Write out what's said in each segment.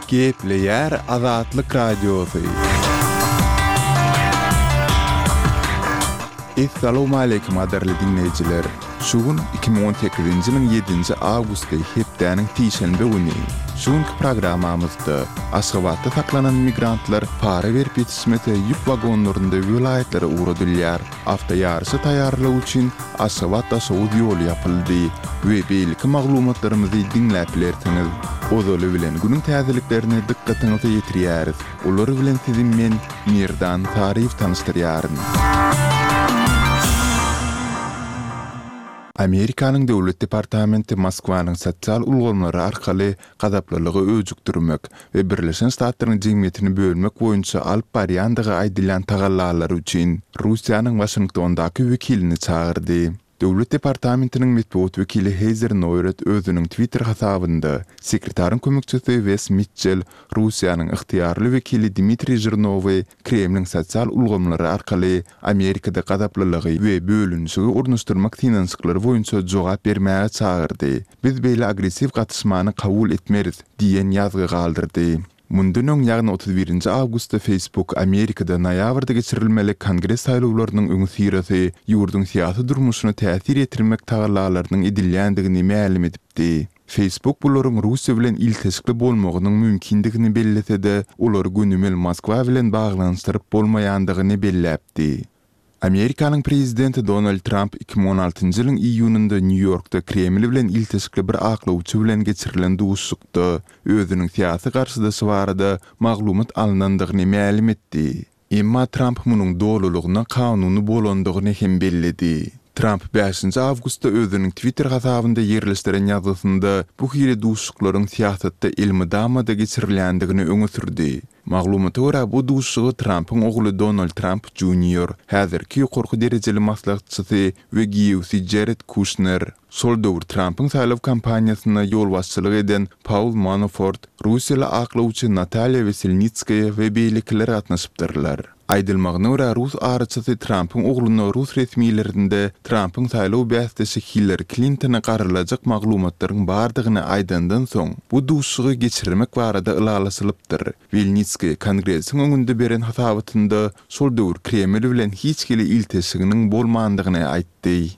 Gepleýär Azatlyk Radiosy. Essalawmaleýkim gadyrly diňleýjiler! Şu gün 2018-nji ýylyň ýedinji awgusty hepdäniň sişenbe güni. Şu günki programmamyzda Aşgabatda saklanan migrantlar para berip ýetişmese ýük wagonlarynda welaýatlara ugradylýar. Awtoýaryşa taýýarlyk üçin Aşgabat-Daşoguz ýoly ýapyldy we beýleki maglumatlarymyzy diňläp bilersiňiz. Ozaly bilen günüň täzeliklerini dykgatyňyza ýetirýäris. Olar bilen sizi men, Merdan Saryýew tanyşdyrýaryn. Amerikanyň Döwlet departamenti Moskwanyň sosial ulgamlary arkaly gazaplylygy öjükdirmek we Birleşen Ştatlaryň jemgyýetini bölmek boýunça alyp barýandygy aýdylýan tagallalary üçin Russiýanyň Waşingtondaky wekilini çagyrdy. Döwlet departamentiniň metbugat wekili Heýzer Noýret özüniň Twitter hasabynda, sekretaryň kömekçisi Wes Mitçel Russiýanyň ygtyýarly wekili Dmitriý Žirnowy Kremliň sosial ulgamlary arkaly Amerikada gazaplylygy we bölünişigi ornaşdyrmak synanyşyklary boýunça jogap bermäge çagyrdy. Biz beýle agressiw gatyşmany kabul etmeris diýen ýazgy galdyrdy. Mundan öň, ýagny 31 nji awgustda Facebook Amerikada noýabrda geçirilmeli Kongres saýlawlarynyň öňüsyrasy ýurduň syýasy durmuşyna täsir ýetirmek tagallalarynyň edilýändigini mälim edipdi. Facebook bularyň Russiýa bilen ilteşikli bolmagynyň mümkindigini bellese-de, olary gönümel Moskwa bilen baglanyşdyryp bolmaýandygyny belläpdi. Amerikanyň prezidenti Donald Tramp 2016-njy ýylyň iýunynda Nýu-Ýorkda Kreml bilen ilteşikli bir aklawçy bilen geçirilen duşuşykda özüniň syýasy garşydaşy barada maglumat alnandygyny mälim etdi. Emma Tramp munuň dolulygyna kanuny bolandygyny hem belledi. Tramp bäşinji awgustda özüniň Twitter hasabynda ýerleşdiren ýazgysynda bu hili duşuşyklaryň syýasatda elmydama-da geçirilýändigini öňe sürdi. Maglumata görä, bu duşuşyga Trampyň ogly Donald Tramp Junior, häzirki ýokarky derejeli maslahatçysy we giýewsi Jared Kuşner, şol döwür Trampyň saýlaw kampaniýasyna ýolbaşçylyk eden Paul Manafort, russiýaly aklawçy Natalýa Weselnitskaýa we beýlekiler gatnaşypdyrlar. Aýdylmagyna görä, rus araçysy Trampyň ogluna rus resmilerinde Trampyň saýlaw bäsdeşi Hillari Klintona garylajak maglumatlaryň bardygyny aýdandan soň, bu duşuşygy geçirmek barada ylalaşylypdyr. Welnitskiý Kongresiň öňünde beren hasabatynda şol döwür Kreml bilen hiç hili ilteşiginiň bolmandygyny aýtdy.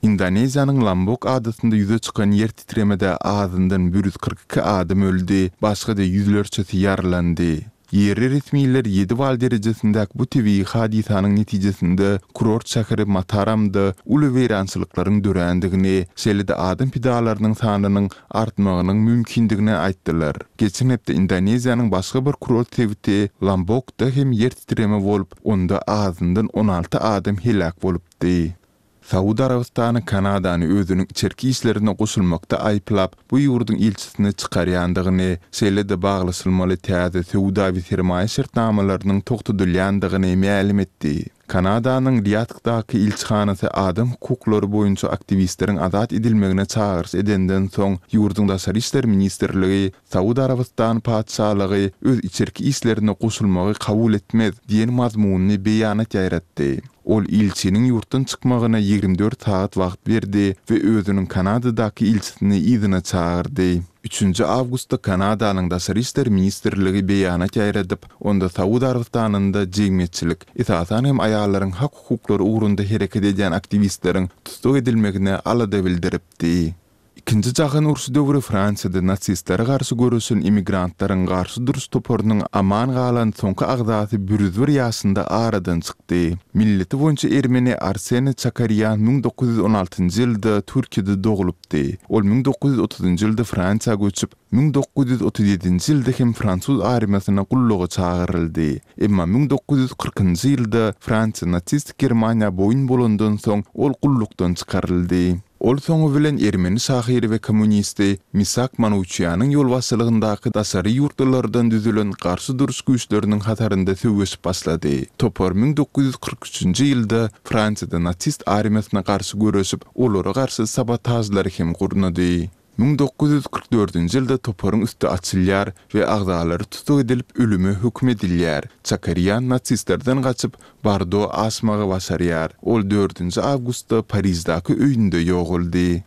Indoneziýanyň Lombok adasynda ýüze çykan ýer titremede azyndan 142 adam öldi, başga-da ýüzlerçesi ýaralandy. Ýerli resmiler ýedi bal derejesindäki bu tebigy hadysanyň netijesinde kurort şäheri Mataramda uly weýrançylyklaryň dörändigini, şeýle-de adam pidalarynyň sanynyň artmagynyň mümkindigini aýtdylar. Geçen hepde Indoneziýanyň başga bir kurort sebiti Lombokda hem ýer titreme bolup, onda azyndan 16 adam heläk bolupdy. Saud Arabystany Kanadany özüniň içerki işlerine goşulmakda aýyplap, bu ýurduň ilçisini çykarýandygyny, şeýle-de baglaşylmaly täze söwda we sermaýa şertnamalarynyň togtadylýandygyny mälim etdi. Kanadanyň Riýadhdaky ilçihanasy adam hukuklary boýunça aktiwistleriň azat edilmegine çagyryş edenden soň, ýurduň Daşary işler ministrligi Saud Arabystany Patyşalygy öz içerki işlerine goşulmagy kabul etmez diýen mazmunly beýanat ýaýratdy. Ol ilçiniň ýurtdan çykmagyna 24 sagat wagt berdi we özüniň Kanadadaky ilçisini yzyna çagyrdy. Üçünji awgustda Kanadanyň Daşary işler ministrligi beýanat ýaýradyp, onda Saud Arabystanynda jemgyýetçilik, esasan hem aýallaryň hak-hukuklary ugrunda hereket edýän aktiwistleriň tussag edilmegine alada bildiripdi. Ikinji jahan urşy döwri Fransiýada nasistlere garşy göreşen immigrantlaryň garşy duruş toparynyň aman galan soňky agzasy 101 ýaşynda aradan çykdy. Milleti boýunça ermeni Arsene Çakarýan 1916-njy ýylda Türkiýede doglupdy. Ol 1930-njy ýylda Fransiýa göçüp, 1937-nji ýylda hem fransuz armiýasyna gulluga çagyryldy. Emma 1940-njy ýylda Fransiýa nasistik Germaniýa boýun bolandan soň ol gullukdan çykaryldy. Ol soňy bilen ermeni şahyry we kommunisti Misak Manuçýanyň ýolbaşçylygyndaky daşary ýurtlulardan düzülen garşy duruş güýçleriniň hatarynda söweşip başlady. Topar 1943-nji ýylda Fransiýada nasist armiýasyna garşy göreşip, olara garşy sabotažlary hem gurnady. 1944-nji ýylda toparyň üsti açylýar we agzalary tussag edilip ölüme höküm edilýär. Çakarýan nasistlerden gaçyp, Bordo aşmagy başarýar. Ol dördünji awgustda Pariždaky öýünde ýogaldy.